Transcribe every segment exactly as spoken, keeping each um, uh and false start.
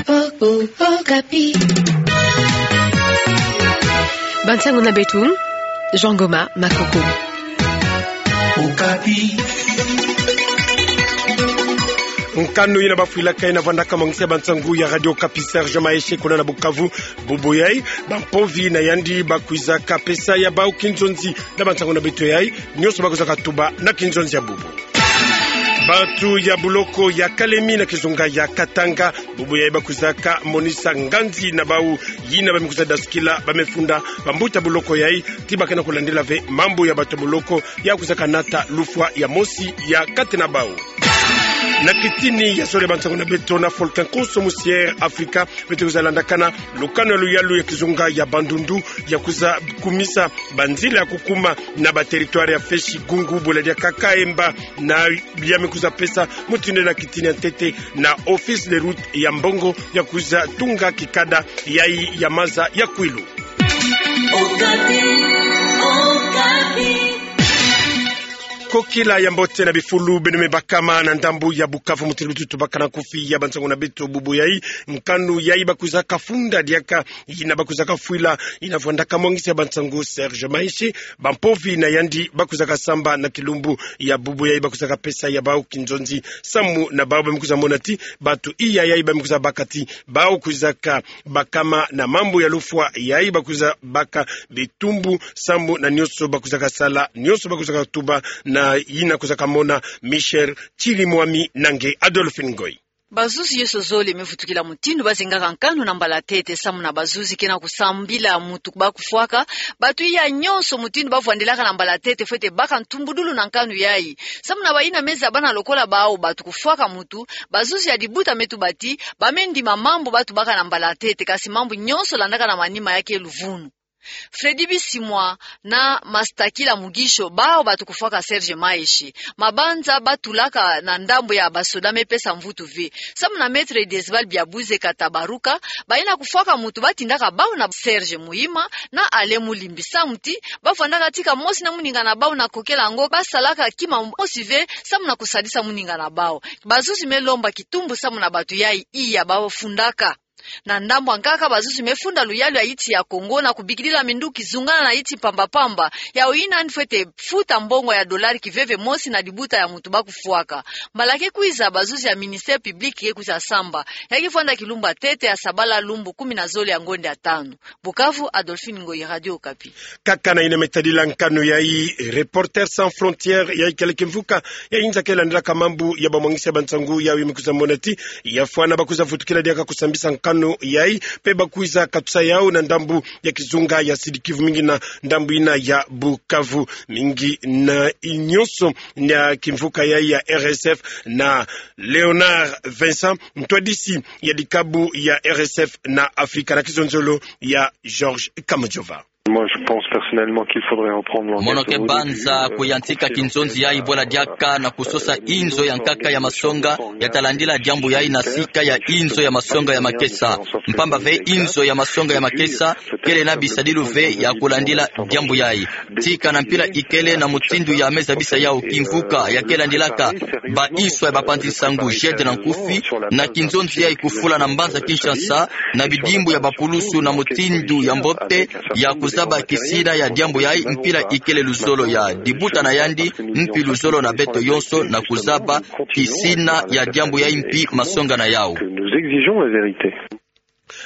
O, o, Okapi. Bansango na beto, Jean Goma Makoko. Okapi. Nkanu yina bafwilaka yina vwandaka mwangis'e bansango ya Radio Okapi, Serge Maeshe, kuna na Bukavu. Bubu yayi, bampovi na yandi bakwizaka pesa ya bawu kinzonzi na bansango na beto yayi, nyonso bakwizaka tuba na kinzonzi ya bubu. Bantu ya buloko ya Kalemi na kizunga ya Katanga, bubu yayi bakwizaka monisa nganzi na bawu yina ba me kwiza dasukila, ba me funda bambuta buloko yayi, ti ba ke na kulandila ve mambu ya bato buloko ya kwizaka nata lufwa ya mosi ya kati na bawu. Na kitini ya zole bansango na beto na Volcan Konso mu Sierra Afrika, beto kwiza landakana lukanu ya luyalu ya kizunga ya Bandundu, ya kwiza kumisa banzila ya kukuma na ba territoire ya Festchi, Gungu, Bweladiaka, Kaemba, na ya me kwiza pesa mutindu na kitini ya ntete na Office des Routes ya Mbongo, ya kwiza tunga kikada yayi ya maza ya Kwilu. Okapi, Okapi. Kokila ya mbote na bifulu beno me bakama na ndambu ya Bukavu, mutindu lututu bakana nkufi ya bansango na beto bubu yayi. Nkanu yayi bakwizaka funda diaka, yina bakwizaka fwila, yina vwandaka mwangis'e bansango Serge Maeshe, bampovi na yandi bakwizaka samba na kilumbu ya bubu yayi, bakwizaka pesa ya bawu kinzonzi, samu na bawu ba me kwiza mona ti bantu iya yayi ba me kwiza baka ti bawu kwizaka bakama na mambu ya lufwa yayi, bakwiza baka bitumbu, samu na nyonso bakwizaka sala, nyonso bakwizaka tuba, na yina kwizaka mona Michel Chirimwami na nge Adolphine Ngoyi. Bazuzi nyonso zole me vutukila mutindu bazengaka nkanu na mbalatete, samu na bazuzi ke na kusambila mutu ba kufwaka. Bantu iya nyonso mutindu bavwandilaka na mbalatete fwete baka ntumbudulu na nkanu yayi. Samu na bayina me zabana lokola bawu bantu kufwaka mutu, bazuzi ya dibuta me tuba ti ba me ndima mambu bantu baka na mbalatete, kasi mambu nyonso landaka na manima ya ke luvunu. Freddy Bisimwa na Mastakila Mugisho, bawu bantu kufwaka Serge Maeshe, mabanza batulaka na ndambu ya basoda me pesa mvutu ve. Samu na Maître Dezval Biabuze Katabaruka, bayina kufwaka mutu batindaka bawu na Serge Muhima na Alain Mulimbi, samu ti bavwandaka tika mosi na muninga na bawu na kokela yango basalaka kima mosi ve, samu na kusadisa muninga na bawu. Bazuzi me lomba kitumbu samu na bantu yayi iya bafundaka. Na ndambu ya nkaka, bazuzi me funda luyalu ya insi ya Kongo na kubikidila minduki zungana na insi pamba-pamba, yawu yina yandi fwete futa mbongo ya dolari kiveve mosi na dibuta ya mutu ba kufwaka. Mbala ke kwiza, bazuzi ya ministère public ke kwiza samba. Ya ke vwanda kilumbu ya ntete ya sabala, lumbu kumi na zole ya ngonde ya tanu. Bukavu, Adolphine Ngoyi, Radio Okapi. Kaka na yina me tadila nkanu yayi, Reporters sans frontières, yayi kele kimvuka ya inza ke landilaka mambu ya bamwangisi ya bansangu, yayi me kwiza mona ti ya fwana ba kwiza vutukila diaka kusambisa nkanu yayi, mpe ba kwiza katusa yawu na ndambu ya kizunga ya Sud-Kivu, mingi na ndambu yina ya Bukavu. Mingi na nyonso na kimvuka yayi ya R S F na Léonard Vincent, ntwadisi ya dikabu ya R S F na Afrika, na kizonzolo ya Georges Kamujova. Moi, je pense personnellement qu'il faudrait reprendre l'enquête. Mono ke banza kuyantika kinzonzi yayi bwela diaka na kusosa inzo ya nkaka ya masonga ya ta landila diambu yayi na sika ya inzo ya masonga ya makesa. Mpamba ve inzo ya masonga ya makesa kele na bisadilu ve ya kulandila diambu yayi. Tika na mpila ikele na mutindu ya me zabisa yawu kimvuka ya ke landilaka ba inswa ya bapanzi nsangu, GIGN na nkufi, na kinzonzi yayi kufula na mbanza Kinshasa na bidimbu ya bapulusu na mutindu ya mbote ya kuzaba kisina ya diambu yayi, mpila ikele luzolo ya dibuta na yandi, mpi luzolo na beto yonso na kuzaba kisina ya diambu yayi mpi masonga na yawu. Que nous exigeons la vérité.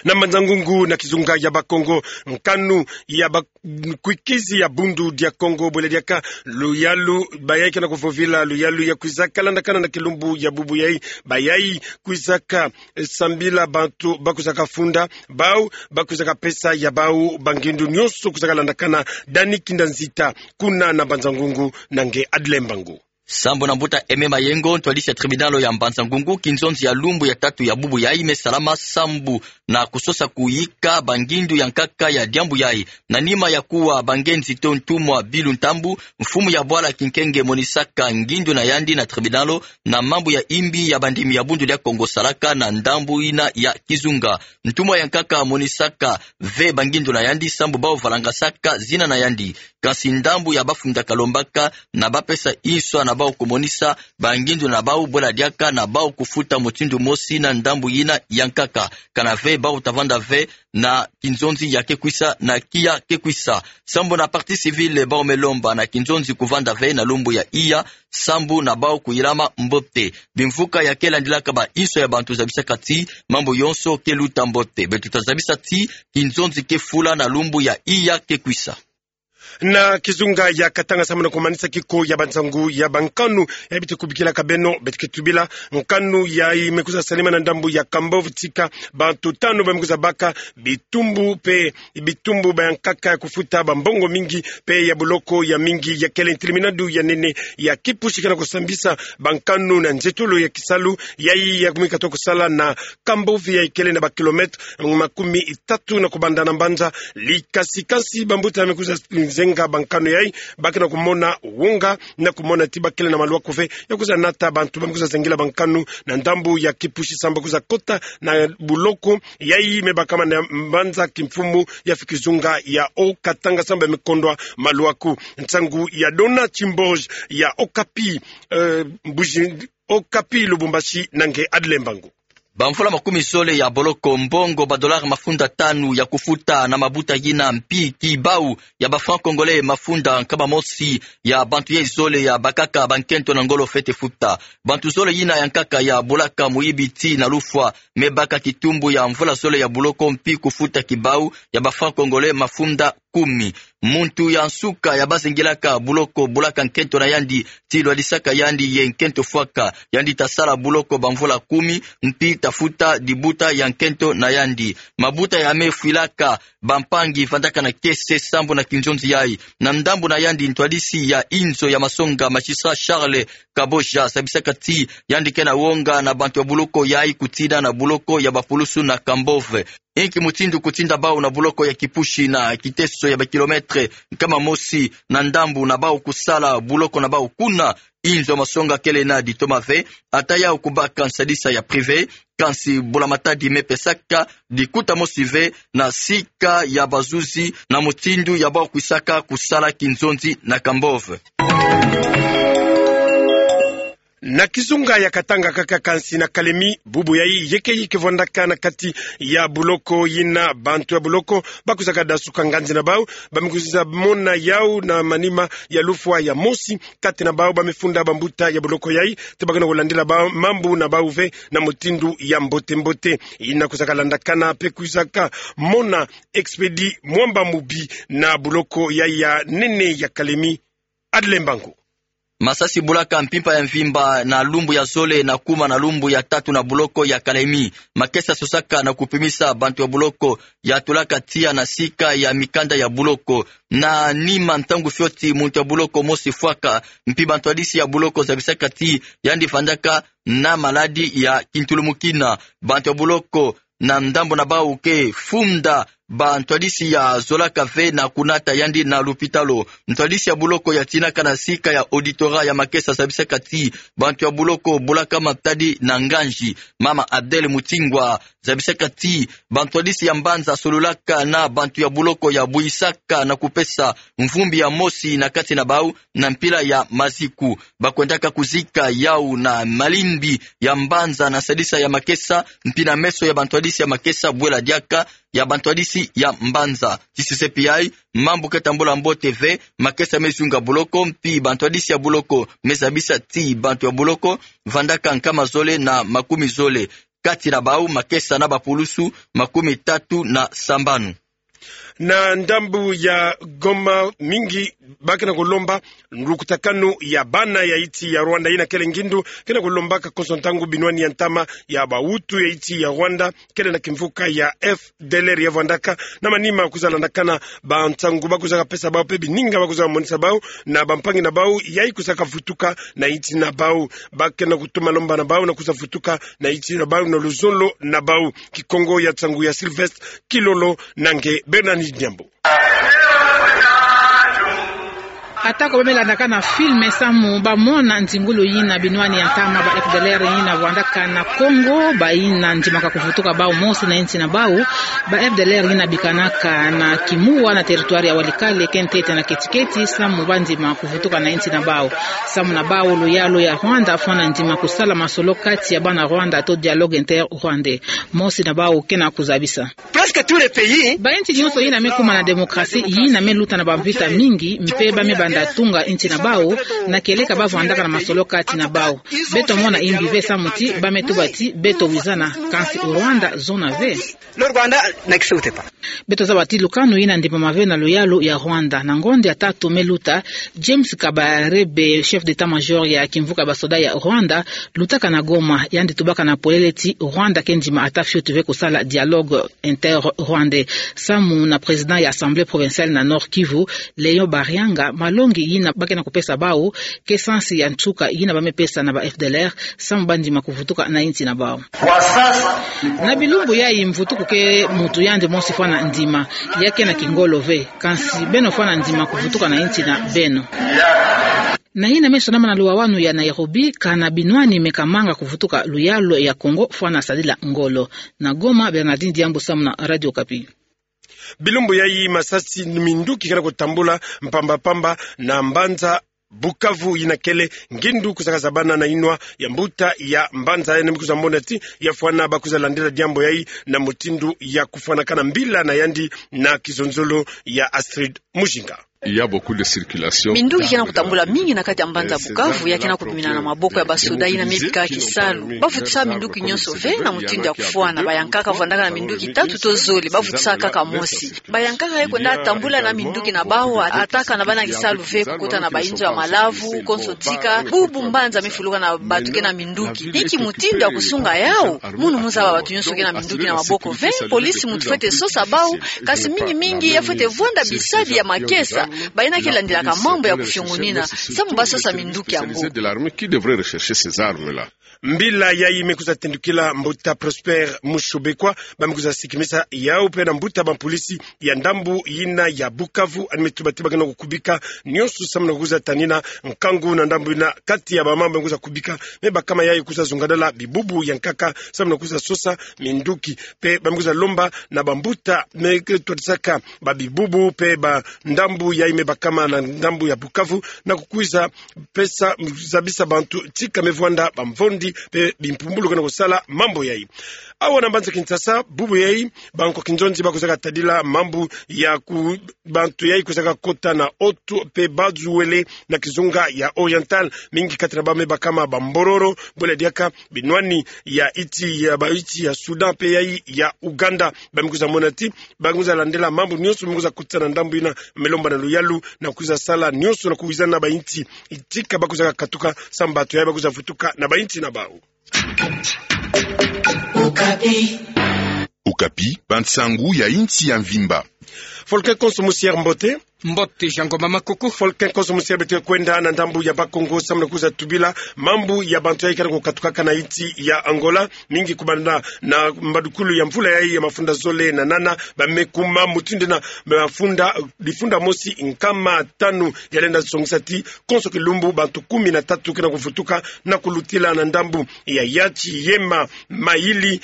Na Mbanza-Ngungu na kizunga ya Bakongo, nkanu ya ba-, kwikizi ya Bundu dia Kongo, bwela diaka luyalu bayayi ke na kuvovila luyalu ya kwizaka landakana na kilumbu ya bubu yayi, bayayi kwizaka, eh, sambila bantu ba kwizaka funda, bawu ba kwizaka pesa ya bawu bangindu, nyonso kwizaka landakana. Dani Kinda Nzita, kuna na Mbanza-Ngungu, na nge Adle Mbangu. Sambu na mbuta Aimé Mayengo, ntwadisi ya tribunal ya Mbanza-Ngungu, kinzonzi ya lumbu ya tatu ya bubu yayi me salama sambu na kusosa kuyika bangindu ya nkaka ya diambu yayi. Na nima ya kuwa ba ngenzi to ntumwa Bilu Ntambu, mfumu ya bwala kinkenge, monisaka ngindu na yandi na tribunal na mambu ya imbi ya bandimi ya Bundu dia Kongo salaka na ndambu yina ya kizunga. Ntumwa ya nkaka monisaka ve bangindu na yandi sambu bawu valangasaka zina na yandi. Kansi ndambu ya bafunda kalombaka na bapesa inswa na bau kumonisa bangindu na bau bwela diaka na bau kufuta mutindu mosi na ndambu yina yankaka. Kana ve bau tavanda ve na kinzonzi ya kekwisa na kiya kekwisa. Sambu na partie civile bau me lomba na kinzonzi kuvanda ve na lumbu ya iya, sambu na bau kuyilama mbote. Bimvuka ya kelandilaka ba inswa ya bantu zabisaka ti mambu yonso keluta mbote. Beto tazabisa ti kinzonzi kefula na lumbu ya iya kekwisa. Na kizunga ya Katanga, sambu na kumanisa kiko ya bansangu ya bankanu, ya bete kubikilaka beno, bete ketubila nkanu yayi me kwiza salama na ndambu ya Kambove, tika bantu tanu ba me kwiza baka bitumbu pe bitumbu ba yankaka ya kufuta bambongo mingi pe ya buloko ya mingi ya kele ntilimina du ya nene ya kipusi ke na kusambisa bankanu na nzetolo ya kisalu yayi ya kumika to kusala na Kambove yayi kele na ba kilomètre makumi tatu na kubanda na mbanza Likasi. Kansi bambuta me kwiza zenga bankanu yayi, ba ke na kumona wonga na kumona ti ba kele na maluaku ve ya kwiza nata bantu ba me kwiza zengila bankanu na ndambu ya kipusi, sambu ba kwiza kota na buloko yayi me bakama na mbanza kimfumu ya fi kizunga ya Haut-Katanga, sambu ba me kondwa maluaku. Nsangu ya Dona Chimboge ya Okapi, eh, Mbuji, Okapi Lubumbashi, na nge Adle Mbangu. Bamvula makumi zole ya boloko, mbongo ba dollar mafunda tanu ya kufuta na mabuta yina mpi kibau ya ba francs congolais mafunda nkama mosi ya bantu yayi zole ya bakaka bankento na ngolo fete futa. Bantu zole yina yankaka ya bulaka muyibi tii na lufwa me baka kitumbu ya mvula zole ya buloko mpi kufuta kibau ya ba francs congolais mafunda kumi. Muntu ya nsuka ya bazengilaka buloko bulaka nkento na yandi tii lwadisaka yandi ye nkento fwaka. Yandi tasala buloko bamvula kumi, mpi tafuta dibuta ya nkento na yandi. Mabuta ya me fwilaka bampangi vandaka na kiese sambu na kinzonzi yayi. Na ndambu na yandi, ntwadisi ya inzo ya masonga, magistrat Charles Kaboja, zabisaka ti yandi ke na wonga na bantu ya buloko yayi kutina na buloko ya bapulusu na Kambove. Inki mutindu kutinda bau na buloko ya kipusi na kiteso ya ba kilomètre nkama mosi na ndambu na bau kusala buloko na bau kuna, inzo masonga kele na ditoma ve, ata yau kubaka nsadisa ya privé, kansi bula matadi me pesaka dikuta mosi ve na sika ya bazuzi na mutindu ya bau kwisaka kusala kinzonzi na Kambove. Na kizunga ya Katanga kaka, kansi na Kalemi, bubu yayi yeke yeke vandaka na kati ya buloko yina bantu ya buloko ba kwizaka dasuka nganzi na bau, ba me kwiza mona yau na manima ya lufwa ya mosi kati na bau ba me funda bambuta ya buloko yayi, ti ba ke na kulandila bau mambu na bau ve na mutindu ya mbote mbote. Yina kwizaka landakana pe kwizaka mona Expédit Mwamba Mubi na buloko yayi ya nene ya Kalemi. Adle Mbangu. Masasi bulaka mpimpa ya mvimba na lumbu ya zole na kuma na lumbu ya tatu na buloko ya Kalemi. Makesa sosaka na kupimisa bantu ya buloko ya tulaka tiya na sika ya mikanda ya buloko. Na nima ntangu fioti muntu ya buloko mosi fwaka, mpi bantwadisi ya buloko zabisaka ti yandi vandaka na maladi ya kintulumukina. Bantu ya buloko na ndambu na bau ke funda bantwadisi ya zolaka ve na kunata yandi na lupitalu. Ntwadisi ya buloko ya tinaka na sika ya auditorat ya makesa zabisaka ti bantu ya buloko bulaka matadi na nganzi. Mama Adèle Mutingwa zabisaka ti bantwadisi ya mbanza sololaka na bantu ya buloko ya buyisaka na kupesa mvumbi ya mosi na kati na bau na mpila ya maziku. Ba kwendaka kuzika yau na malimbi ya mbanza na sadisa ya makesa, mpi na meso ya bantwadisi ya makesa, bwela diaka ya bantwadisi ya mbanza. Ti sese pi yayi, mambu ke tambula mbote ve, makesa me zunga buloko, mpi bantwadisi ya buloko me zabisa ti bantu ya buloko vandaka nkama zole na makumi zole. Kati na bau makesa na bapulusu makumi tatu na sambanu. Na ndambu ya Goma, mingi ba ke na kulomba lukutakanu ya bana ya insi ya Rwanda, yina kele ngindu ke na kulombaka konso ntangu binwani ya ntama ya bahutu ya insi ya Rwanda, kele na kimvuka ya F D L R ya vandaka. Na manima kwiza landakana bansangu ba kwizaka pesa bau pe bininga ba kwizaka monisa bau na bampangi na bau yayi kwizaka vutuka na insi na bau. Ba ke na kutuma lomba na bau na kwiza vutuka na insi na bau na luzolo na bau. Kikongo ya nsangu ya Sylvestre Kilolo na nge Bernard Diambo. Atako ba me landaka na filme samu ba mona nzingulu yina binwani ya ntama ba F D L R yina vwandaka na Kongo, bayina ndimaka kuvutuka bau mosi na insi na bau. Ba F D L R yina bikanaka na Kimuwa na territoire ya Walikale, kentete na Ketiketi, samu ba ndima kuvutuka na insi na bau. Samu na bau, luyalu ya Rwanda fwana ndima kusala masolo kati ya bana Rwanda to dialogue inter-rwandais. Mosi na bau kena kuzabisa. Presque tous les pays. Ba insi nyonso yina me kuma na démocratie, yina me luta na ba mvita mingi, mpe ba me banda tunga insi na bau, na kieleka ba vwandaka na masolo kati na bau. Beto mona imbi ve samu ti ba me tuba ti beto wizana, kansi o Rwanda zona ve. Le Rwanda n'accepte pas. Beto zaba ti lukanu yina ndimama ve na luyalu ya Rwanda. Na ngonde ya tatu me luta, James Kabarebe, chef d'état-major ya kimvuka ba soda ya Rwanda, lutaka na Goma, yandi tubaka na polele ti Rwanda ke ndima ata fioti ve kusala dialogue inter-rwandais. Samu na président ya Assemblée provinciale na Nord-Kivu, Léon Barianga, malongi yina ba kena kupesa bau ke sansi ya nsuka yina ba me pesa na ba F D L R, samu ba ndima kuvutuka na insi na bau. Na bilumbu yayi, mvutuku ke muntu yandi mosi fwana ndima, ya kena kingolo ve, kansi beno fwana ndima kuvutuka na insi na beno. Na yina me sonama na luwawanu ya Nairobi, kana binwani me kamanga kuvutuka luyalu ya Kongo fwana sadila ngolo. Na Goma, Bernardine Diambu samu na Radio Okapi. Bilumbu yayi masasi, minduki kena kutambula mpamba-mpamba na mbanza Bukavu yina kele ngindu kuzaka zabana na inwa ya mbuta ya mbanza yina me kwiza mona ti ya fwana ba kwiza landila diambu yayi na mutindu ya kufwanakana mbila na yandi na kizonzolo ya Astrid Mujinga. Il y a beaucoup de circulation. Minduki kena kutambula mingi na kati ya mbanza Bukavu, ya kena kumina na maboko ya ba soda yina me bika kisalu. Ba vutisa minduki nyonso ve na mutindu ya kufwana. Bayankaka vwandaka na minduki tatu to zole, ba vutisa kaka mosi. Bayankaka ye kwenda tambula na minduki na bau, ata kana bana kisalu ve, kukota na ba inzo ya malavu, konso tika, bubu mbanza me fuluka na bantu kena minduki. Inki mutindu ya kusunga yau? Munu mu zaba bantu nyonso kena minduki na maboko ve, polisi muntu fwete sosa bau, kansi mingi-mingi ya fwete vwanda bisadi ya makesa, bayina ke landilaka mambu ya kufiongonina, samu ba sosa minduki yango. Mbila yayi me kwiza tendukila mbuta Prosper Mushubekwa, ba me kwiza sikimisa yau mpe na mbuta ba polisi ya ndambu yina ya Bukavu, yandi me tuba ti ba kena kukubika nyonso samu na kwiza tanina nkangu na ndambu yina. Kati ya ba mambu ba me kwiza kubika, me bakama yayi kwiza zungadala bibubu ya nkaka samu na kwiza sosa minduki. Mpe ba me kwiza lomba na ba mbuta me twadisaka ba bibubu mpe ba ndambu yayi me bakama na ndambu ya Bukavu na kukwiza pesa, zabisa bantu tika me vwanda ba mvondi mpe bimpumbulu kena kusala mambu yayi. Awa na mbanza Kinshasa, bubu yayi, bankwa kinzonzi ba kwizaka tadila mambu ya ku-, bantu yayi kwizaka kota na oto mpe bazuwele na kizunga ya Oriental, mingi kati na bau me bakama ba Mbororo, bwela diaka binwani ya insi ya ba insi ya Soudan mpe yayi ya Ouganda. Ba me kwiza mona ti ba kwiza landila mambu nyonso me kwiza kotisa na ndambu yina, me lomba na luyalu na kwiza sala nyonso na kuwizana na ba insi tika ba kwizaka katuka, samu bantu yayi ba kwiza vutuka na ba insi na bau. Okapi. Okapi, bansangu ya insi ya mvimba. Folke konso mosi ya mbote. Mbote, Jean Ngoma Makoko. Folke konso mosi ya beto kwenda na ndambu ya Bas-Congo, samu na kwiza tubila mambu ya bantu yayi kena kukatukaka na insi ya Angola, mingi kubanda na mbadukulu ya mvula yayi ya mafunda zole na nana, ba me kuma mutindu na mafunda, difunda mosi nkama tanu. Ya lenda songisa ti konso kilumbu bantu kumi na tatu kena kuvutuka na kulutila na ndambu ya Yatsi, Yema, Mayili,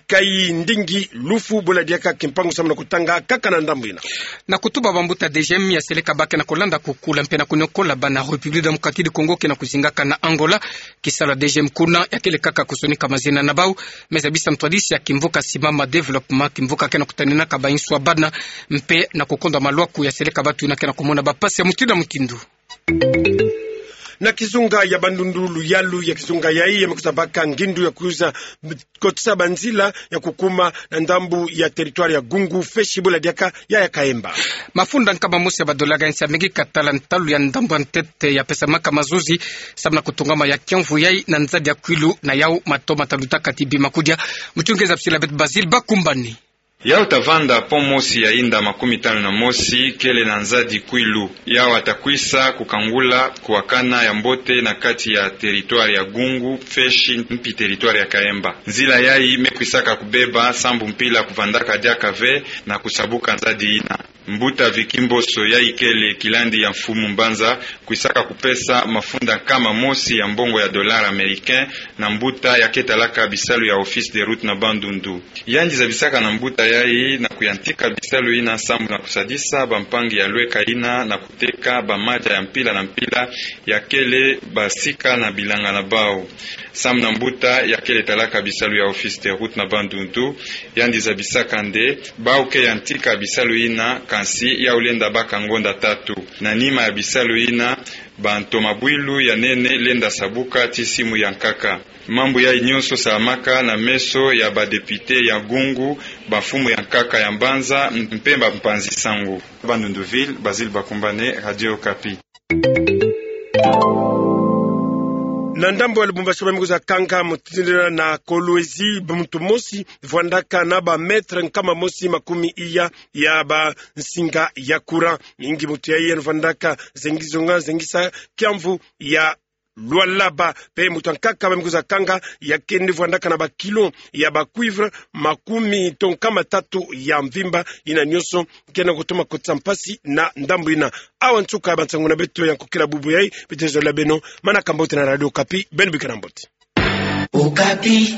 Kayindingi, Lufu, bwela diaka Kimpangu, samu na kutanga kaka na ndambu yina. Na kutuba bambuta, D G M ya seleka ba kena kulanda kukula mpe na kuniokola bana République Démocratique du Congo kena kuzingaka na Angola. Kisalu ya D G M kuna ya kele kaka kusonika mazina na bau, mais zabisa ntwadisi ya kimvuka Simama Développement, kimvuka kena kutaninaka ba insu ya bana, mpe na kukondwa malwaku ya seleka bantu yina kena kumona ba mpasi ya mutindu na mutindu. Na kizunga ya Bandundu, luyalu ya kizunga yayi ya me kwiza baka ngindu ya kwiza kotisa banzila ya kukuma na ndambu ya territoire ya Gungu, Feshi, bwela diaka ya, ya Kaemba. Mafunda nkama mosi ya ba dollar ya insi ya Amerika tala ntalu ya ndambu ya ntete ya pesamaka mazuzi, samu na kutungama ya kiamvu yayi na nzadi ya Kwilu, na yau mato mata lutaka ti bima kudia. Muchungeza pisila beto Basile Bakumbani. Yau ta vanda pont mosi ya inda makumi tanu na mosi kele na nzadi Kwilu. Yau ta kwisa kukangula kuwakana ya mbote na kati ya territoire ya Gungu, Feshi, mpi territoire ya Kaemba. Nzila yayi me kwisaka kubeba sambu mpila kuvandaka diaka ve na kusabuka nzadi yina. Mbuta Vicky Mboso, yai kele kilandi ya mfumu mbanza, kwisaka kupesa mafunda nkama mosi ya mbongo ya dollar américain na mbuta ya ketalaka bisalu ya Office des Routes na Bandundu. Yandi zabisaka na mbuta yai na kuyantika bisalu yina sambu na kusadisa bampangi ya lweka yina na kuteka bamadia ya mpila na mpila ya kele basika na bilanga na bau. Sambu na mbuta ya kele talaka bisalu ya Office des Routes na Bandundu, yandi zabisaka nde bau ke yantika bisalu yina, kansi yau lenda baka ngonda tatu. Na nima ya bisalu yina, bantoma bwilu ya nene lenda sabuka ti simu ya nkaka. Mambu yai nyonso salamaka na meso ya badepite ya gungu, bamfumu ya nkaka ya mbanza, mpe bampanzi sango. Bandundu Ville, Basil Bakumbane, Radio Okapi. Na ndambu ya Lubumbashi, bamikuza kanga mu tindila na Kolwezi, muntu mosi vwandaka na bamètre nkama mosi makumi iya ya bansinga ya courant. Mingi muntu yai yandi vwandaka zengi zonga, zengi sa kiamvu ya Lualaba. Mpe muntu ya nkaka bamikuza kanga, ya keni vwandaka na bakilo ya bacuivre makumi to nkama tatu ya mvimba. Yina nyonso kena kutoma kotisa mpasi na ndambu yina. Awa nsuka ya bansangu na beto ya nkokila bubu yai, beto zola beno, manaka mbote na Radio Okapi, beno bikana mbote. Okapi.